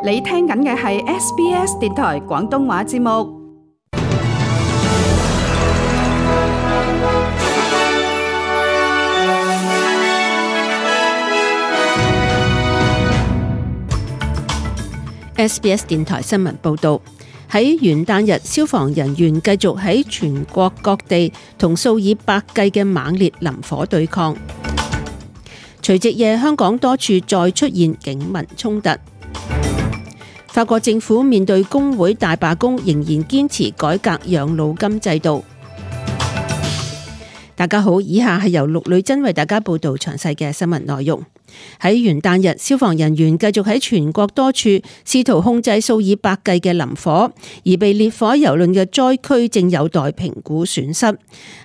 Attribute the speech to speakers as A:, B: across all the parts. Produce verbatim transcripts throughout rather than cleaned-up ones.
A: 你聽緊嘅係 S B S 電台廣東話節目。
B: S B S 電台新聞報導，喺元旦日，消防人員繼續喺全國各地同數以百計嘅猛烈林火對抗。除夕夜，香港多處再出現警民衝突。法國政府面對工會大罷工，仍然堅持改革養老金制度。大家好，以下係由陸女珍為大家報道詳細嘅新聞內容。喺元旦日，消防人員繼續喺全國多處試圖控制數以百計嘅林火，而被烈火蹂躪嘅災區正有待評估損失。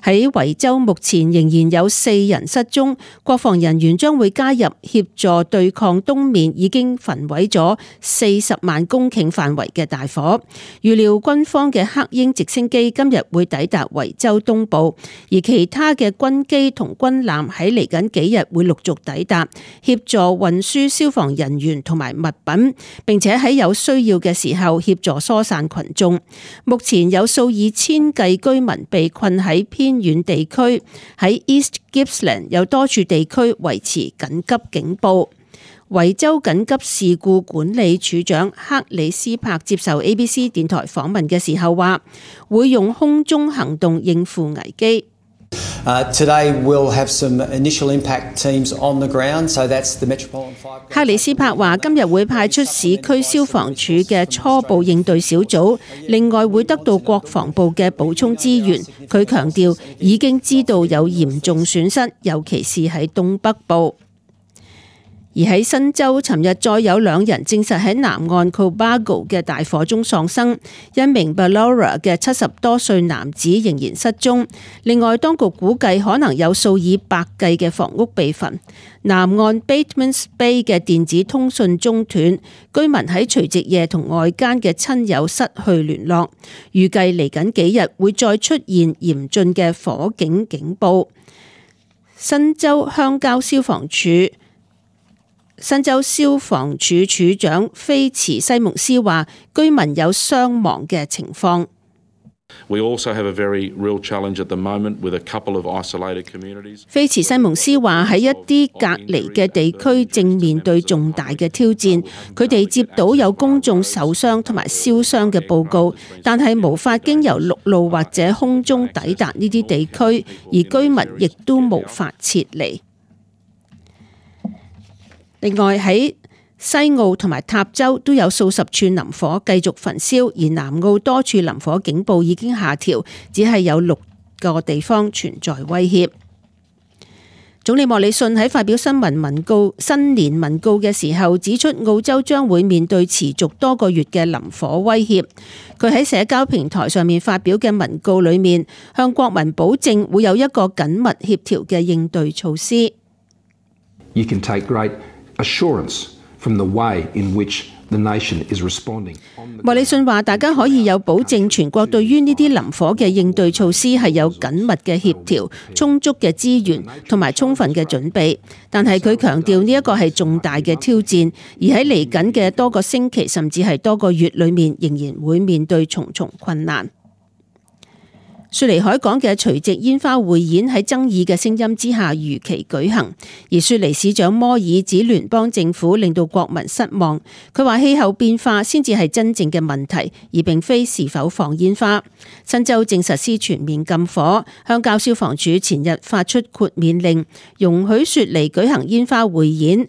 B: 喺維州目前仍然有四人失蹤，國防人員將會加入協助對抗東面已經焚毀咗四十萬公頃範圍嘅大火。預料軍方嘅黑鷹直升機今日會抵達維州東部，而其他嘅軍機同軍艦喺嚟緊幾日會陸續抵達，協助運輸消防人員同埋物品，並且喺有需要嘅時候協助疏散群眾。目前有數以千計居民被困喺偏遠地區，喺 East Gippsland 有多處地區維持緊急警報。維州緊急事故管理處長克里斯柏接受 A B C 電台訪問嘅時候話，會用空中行動應付危機。
C: Uh, today we'll have some initial impact teams on the ground, so that's the Metropolitan Fire.
B: 克里斯柏話今日會派出市區消防處嘅初步應對小組，另外會得到國防部嘅補充資源。佢強調已經知道有嚴重損失，尤其是喺東北部。而喺新州，尋日再有兩人證實喺南岸 Cobargo 嘅大火中喪生，一名 Ballora 嘅七十多歲男子仍然失蹤。另外，當局估計可能有數以百計嘅房屋被焚。南岸 Batemans Bay 嘅電子通訊中斷，居民喺除夕夜同外間嘅親友失去聯絡。預計嚟緊幾日會再出現嚴峻嘅火警警報。新州鄉郊消防處新州消防處處長菲茨西蒙斯話，居民有傷亡嘅情況。
D: We also have a very real challenge at the moment with a couple of isolated communities.
B: 菲茨西蒙斯話喺一啲隔離嘅地區正面對重大嘅挑戰，佢哋接到有公眾受傷同埋燒傷嘅報告，但係無法經由陸路或者空中抵達呢啲地區，而居民亦都無法撤離。另外喺西澳同埋塔州都有數十處林火繼續焚燒，而南澳多處林火警報已經下調，只係有六個地方存在威脅。總理莫里遜喺發表新聞文告、新年文告嘅時候，指出澳洲將會面對持續多個月嘅林火威脅。佢喺社交平台上面發表嘅文告裏面，向國民保證會有一個緊密協調嘅應對措施。
E: You can take great assurance from the way in which the nation is responding.
B: 莫里遜話：大家可以有保證，全國對於呢啲林火嘅應對措施係有緊密嘅協調、充足嘅資源同埋充分嘅準備。但係佢強調呢一個係重大嘅挑戰，而喺嚟緊嘅多個星期甚至係多個月裏面，仍然會面對重重困難。雪梨海港嘅除夕煙花匯演喺爭議嘅聲音之下如期舉行，而雪梨市長摩爾指聯邦政府令到國民失望。佢話氣候變化先至係真正嘅問題，而並非是否放煙花。新州正實施全面禁火，鄉郊消防處前日發出豁免令，容許雪梨舉行煙花匯演。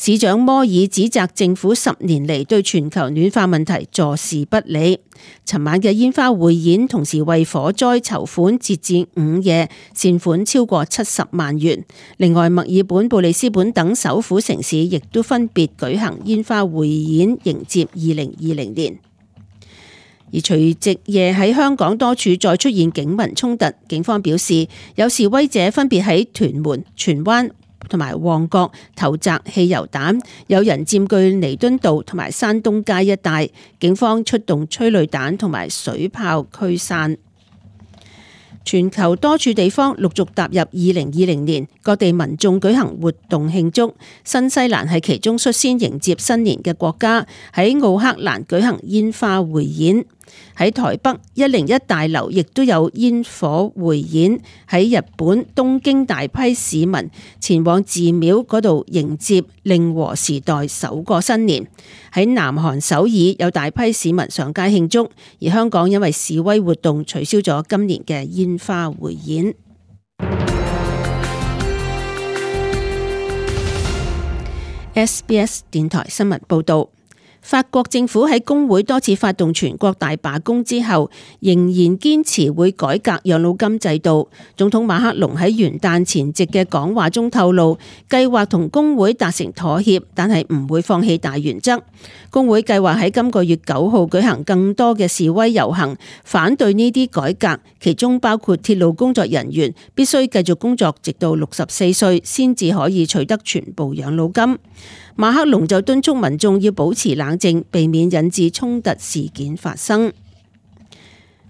B: 市長摩爾指責政府十年嚟對全球暖化問題坐視不理。尋晚嘅煙花匯演同時為火災籌款，截至午夜善款超過七十萬元。另外，墨爾本、布里斯本等首府城市亦都分別舉行煙花匯演，迎接二零二零年。而除夕夜喺香港多處再出現警民衝突，警方表示有示威者分別喺屯門、荃灣同埋旺角投擲汽油彈，有人佔據彌敦道同埋山東街一帶，警方出動催淚彈同埋水炮驅散。全球多處地方陸續踏入二零二零年，各地民眾舉行活動慶祝。新西蘭係其中率先迎接新年嘅國家，喺奧克蘭舉行煙花匯演。喺台北一零一大樓亦都有煙火匯演。喺日本東京，大批市民前往寺廟嗰度迎接令和時代首個新年。喺南韓首爾有大批市民上街慶祝，而香港因為示威活動取消咗今年嘅煙花匯演。S B S 電台新聞報道。法國政府喺工會多次發動全國大罷工之後，仍然堅持會改革養老金制度。總統馬克龍喺元旦前夕嘅講話中透露，計劃同工會達成妥協，但係唔會放棄大原則。工會計劃喺今個月九號舉行更多嘅示威遊行，反對呢啲改革，其中包括鐵路工作人員必須繼續工作直到六十四歲，先至可以取得全部養老金。馬克龍就敦促民眾要保持冷靜，避免引致衝突事件發生。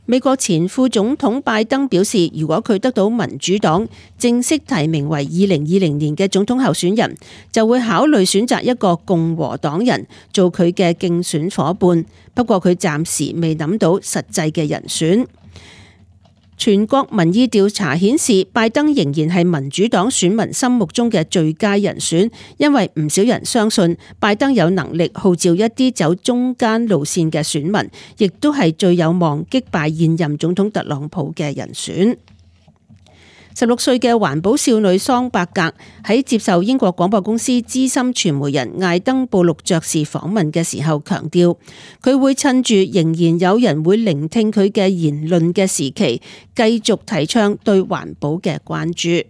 B: 美國前副總統拜登表示，如果佢得到民主黨正式提名為二零二零年嘅總統候選人，就會考慮選擇一個共和黨人做佢嘅競選夥伴。不過佢暫時未諗到實際嘅人選。全國民意調查顯示，拜登仍然係民主黨選民心目中嘅最佳人選，因為唔少人相信拜登有能力號召一啲走中間路線嘅選民，亦都係最有望擊敗現任總統特朗普嘅人選。十六歲嘅環保少女桑伯格喺接受英國廣播公司資深傳媒人艾登布魯爵士訪問嘅時候強調，佢會趁住仍然有人會聆聽佢嘅言論嘅時期，繼續提倡對環保嘅關注。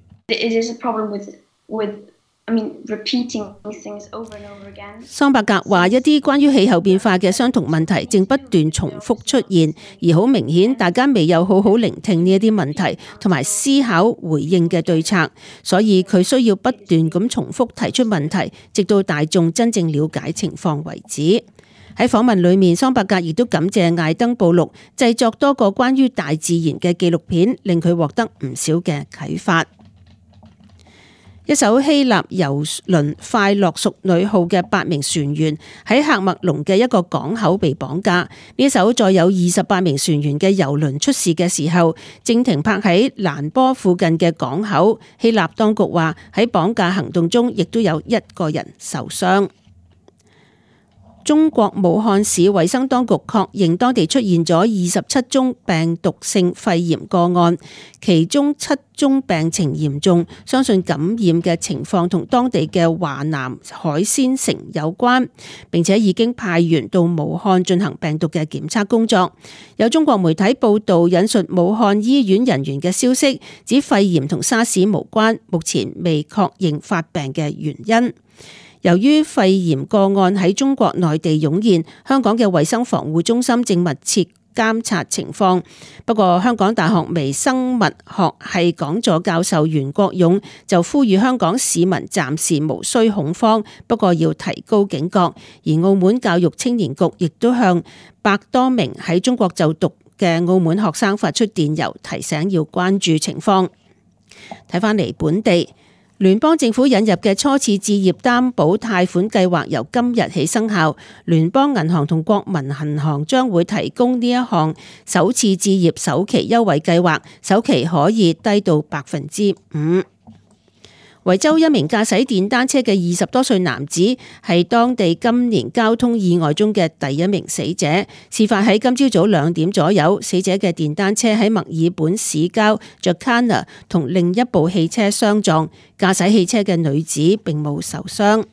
B: 桑伯格話：一啲關於氣候變化嘅相同問題正不斷重複出現，而好明顯大家未有好好聆聽呢一啲問題同埋思考回應嘅對策，所以佢需要不斷咁重複提出問題，直到大眾真正了解情況為止。喺訪問裏面，桑伯格亦都感謝艾登布魯製作多個關於大自然嘅紀錄片，令佢獲得唔少嘅啟發。一艘希臘郵輪快樂淑女號嘅八名船員喺喀麥隆嘅一個港口被綁架。呢艘載有二十八名船員嘅郵輪出事嘅時候，正停泊喺蘭波附近嘅港口。希臘當局話喺綁架行動中，亦都有一個人受傷。中國武漢市衛生當局確認當地出現咗二十七宗病毒性肺炎個案，其中七宗病情嚴重，相信感染嘅情況同當地嘅華南海鮮城有關，並且已經派員到武漢進行病毒嘅檢測工作。有中國媒體報道引述武漢醫院人員嘅消息，指肺炎同沙士無關，目前未確認發病嘅原因。由於肺炎個案喺中國內地湧現，香港嘅衛生防護中心正密切監察情況。不過，香港大學微生物學系講座教授袁國勇就呼籲香港市民暫時無需恐慌，不過要提高警覺。而澳門教育青年局亦都向百多名喺中國就讀嘅澳門學生發出電郵，提醒要關注情況。睇返嚟本地。聯邦政府引入嘅初次置業擔保貸款計劃由今日起生效，聯邦銀行同國民銀行將會提供呢一項首次置業首期優惠計劃，首期可以低到百分之五。維州一名駕駛電單車嘅二十多歲男子係當地今年交通意外中嘅第一名死者。事發喺今朝早兩點左右，死者嘅電單車喺墨爾本市郊 Jacana 同另一部汽車相撞，駕駛汽車嘅女子並冇受傷。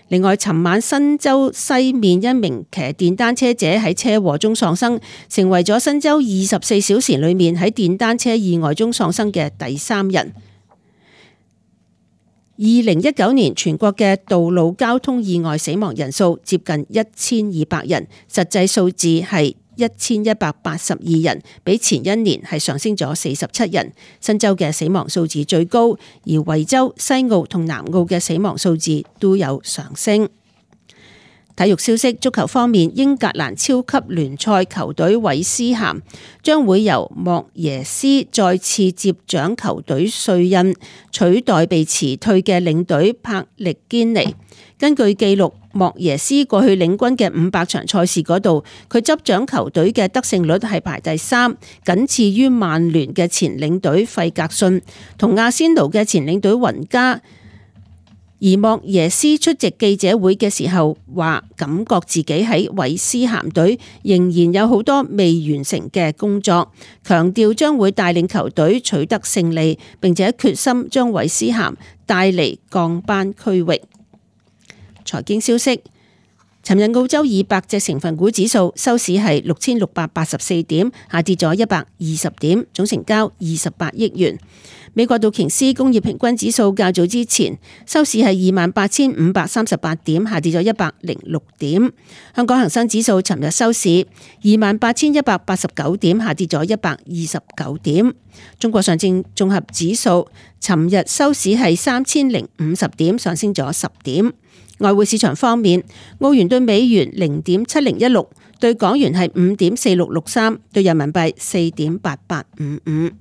B: 另外，尋晚新州西面一名騎電單車者喺車禍中喪生，成為咗新州二十四小時裏面喺電單車意外中喪生嘅第三人。二零一九年全國嘅道路交通意外死亡人數接近一千二百人，實際數字係一千一百八十二人，比前一年係上升咗四十七人。新州嘅死亡數字最高，而維州、西澳同南澳嘅死亡數字都有上升。體育消息，足球方面，英格蘭超級聯賽球隊韋斯咸將會由莫耶斯再次接掌球隊帥印，取代被辭退嘅領隊柏力堅尼。根據記錄，莫耶斯過去領軍嘅五百場賽事嗰度，佢執掌球隊嘅得勝率係排第三，僅次於曼聯嘅前領隊費格遜同阿仙奴嘅前領隊雲加。而莫耶斯出席記者會嘅時候話，感覺自己喺韋斯咸隊仍然有好多未完成嘅工作，強調將會帶領球隊取得勝利，並且決心將韋斯咸帶離降班區域。財經消息，尋日澳洲二百隻成分股指數收市係六千六百八十四點，下跌咗一百二十點，總成交二十八億元。美國道瓊斯工業平均指數較早之前收市係二萬八千五百三十八點，下跌咗一百零六點。香港恒生指數尋日收市二萬八千一百八十九點，下跌咗一百二十九點。中國上證綜合指數尋日收市係三千零五十點，上升咗十點。外匯市場方面，澳元對美元零點七零一六，對港元係五點四六六三，對人民幣四點八八五五。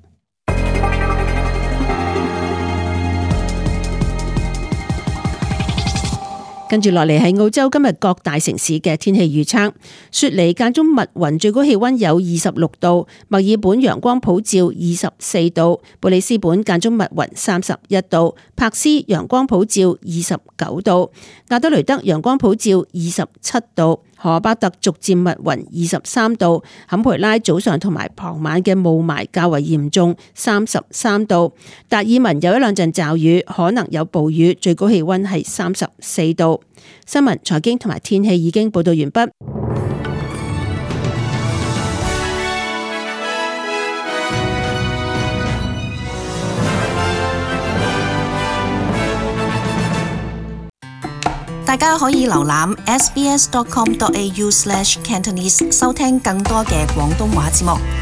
B: 跟住落嚟係澳洲今日各大城市嘅天氣預測。雪梨間中密雲，最高氣溫有二十六度；墨爾本陽光普照，二十四度；布里斯本間中密雲，三十一度；柏斯陽光普照，二十九度；亞德雷德陽光普照，二十七度；荷巴特逐漸密雲，二十三度；坎培拉早上同埋傍晚嘅霧霾較為嚴重，三十三度；達爾文有一兩陣驟雨，可能有暴雨，最高氣溫係三十四度。新聞、財經同埋天氣已經報道完畢。
F: 大家可以瀏覽 s b s dot com dot a u slash cantonese 收聽更多嘅廣東話節目。